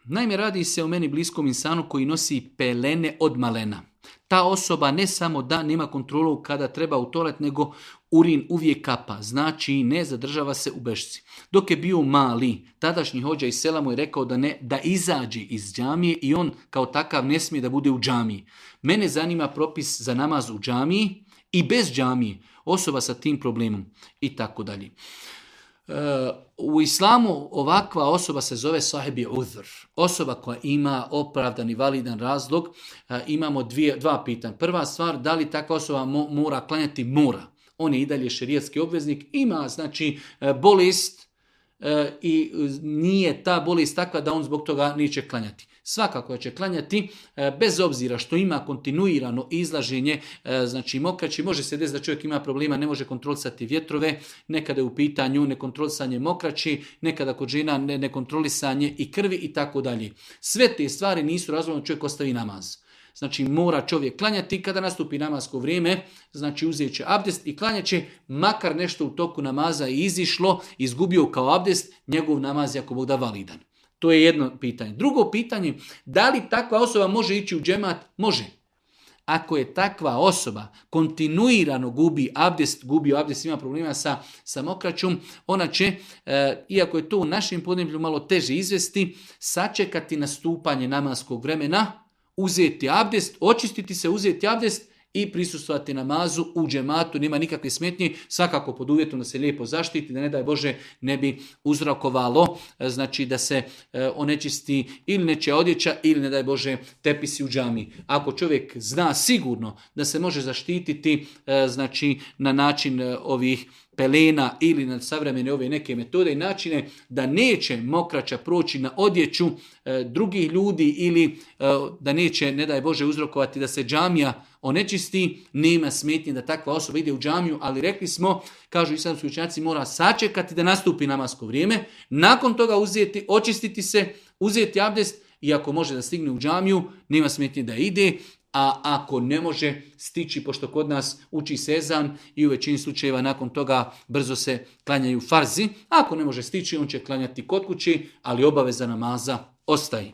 Naime, radi se o meni bliskom insanu koji nosi pelene od malena. Ta osoba ne samo da nema kontrolu kada treba u toalet, nego urin uvijek kapa, znači ne zadržava se u bešci. Dok je bio mali, tadašnji hođa iz sela mu je rekao da izađe iz džamije i on kao takav ne smije da bude u džamiji. Mene zanima propis za namaz u džamiji i bez džamije, osoba sa tim problemom i tako dalje. U islamu ovakva osoba se zove sahibi uzr. Osoba koja ima opravdan i validan razlog. Imamo dva pitanja. Prva stvar, da li takva osoba mora klanjati? Mora. On je i dalje šerijatski obveznik. Ima znači bolest i nije ta bolest takva da on zbog toga neće klanjati. Svakako će klanjati bez obzira što ima kontinuirano izlaženje, znači mokraći, može se desiti da čovjek ima problema, ne može kontrolisati vjetrove, nekada je u pitanju nekontrolisanje mokraći, nekada kod žena nekontrolisanje i krvi i tako dalje. Sve te stvari nisu razlogom da čovjek ostavi namaz. Znači mora čovjek klanjati kada nastupi namasko vrijeme, znači uzet će abdest i klanjat će, makar nešto u toku namaza je izišlo, izgubio kao abdest, njegov namaz je ako Bog da validan. To je jedno pitanje. Drugo pitanje, da li takva osoba može ići u džemat? Može. Ako je takva osoba kontinuirano gubi abdest, ima problema sa mokraćom, ona će, iako je to u našem podneblju malo teže izvesti, sačekati nastupanje namaskog vremena, uzeti abdest, očistiti se, uzeti abdest i prisustvovati namazu u džematu, nema nikakve smetnje, svakako pod uvjetom da se lijepo zaštiti, da ne daj Bože ne bi uzrokovalo, znači da se onečisti ili nečija odjeća ili ne daj Bože tepisi u džami. Ako čovjek zna sigurno da se može zaštititi znači na način ovih pelena ili na savremene ove neke metode i načine da neće mokraća proći na odjeću drugih ljudi ili da neće, ne daj Bože, uzrokovati da se džamija onečisti, nema smetnje da takva osoba ide u džamiju, ali rekli smo, kažu islamski učenjaci, mora sačekati da nastupi namasko vrijeme, nakon toga uzeti, očistiti se, uzeti abdest i ako može da stigne u džamiju, nema smetnje da ide, a ako ne može stići, pošto kod nas uči se ezan i u većini slučajeva nakon toga brzo se klanjaju farzi, ako ne može stići, on će klanjati kod kući, ali obaveza namaza ostaje.